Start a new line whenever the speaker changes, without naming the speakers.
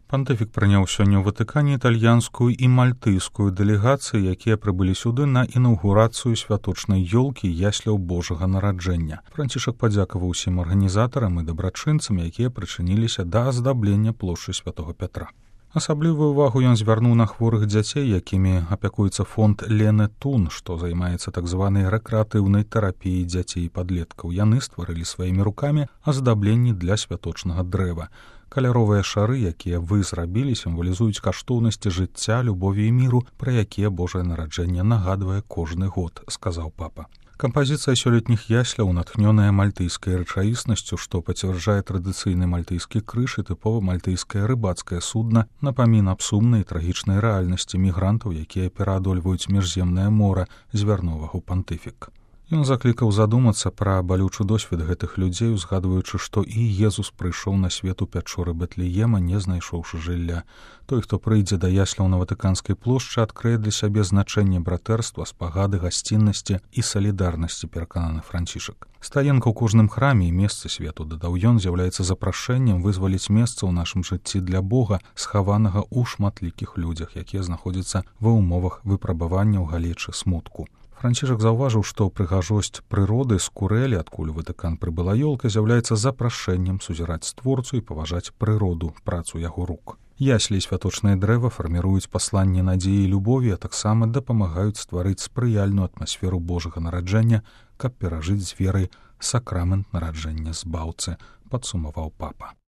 Пантыфік прыняў сёння ў Ватыкане італьянскую і мальтыйскую дэлегацыі, якія прыбылі сюды на інаўгурацыю святочнай ёлкі ясляў Божага нараджэння. Францішак падзякаваў усім арганізатарам і дабрачынцам, якія прычыніліся да аздаблення плошчы святого Пятра. Асаблівую ўвагу ён звярнуў на хворых дзяцей, якімі апякуецца фонд Лены Тун, што займаецца так званай рэкрэатыўнай тэрапіяй дзяцей і падлеткаў. Яны стварылі сваімі рукамі аздабленні для святочнага дрэва. Каляровыя шары, якія вы зрабілі, сімвалізуюць каштоўнасці жыцця, любові і міру, пра якія Божае нараджэнне нагадвае кожны год, сказаў папа. Кампазіцыя сёлетніх ясляў натхнёная мальтыйскай рэчаіснасцю, што пацвярджае традыцыйны мальтыйскі крыж і тыпова мальтыйскае рыбацкае судна, напамін аб сумнай і трагічнай рэальнасці мігрантаў, якія пераадольваюць міжземнае мора, звярнуў пантыфік. Ён заклікаў задумацца пра балючы досвед гэтых людзей, узгадваючы, што і Езус прыйшоў на свет у пячоры Бэтлеема, не знайшоўшы жылля. Той, хто прыйдзе да ясляў на Ватыканскай плошчы, адкрые для сябе значэнне братэрства, спагады, гасціннасці і салідарнасці, перакананы Францішак. Стаенка ў кожным храме і месцы свету, дадаў ён, з'яўляецца запрашэннем вызваліць месца ў нашым жыцці для Бога, схаванага ў шматлікіх людзях, якія знаходзяцца ва ўмовах выпрабавання ў галечы смутку. Францішак заўважыў, што прыгажосць прыроды з Курэлі, адкуль у Ватыкан прыбыла ёлка, з'яўляецца запрашэннем сузіраць створцу і паважаць прыроду, працу яго рук. Яслі і святочнае дрэва фарміруюць пасланне надзеі і любові, а таксама дапамагаюць стварыць спрыяльную атмасферу Божага нараджэння, каб перажыць з верай сакрамент нараджэння збаўцы, падсумаваў папа.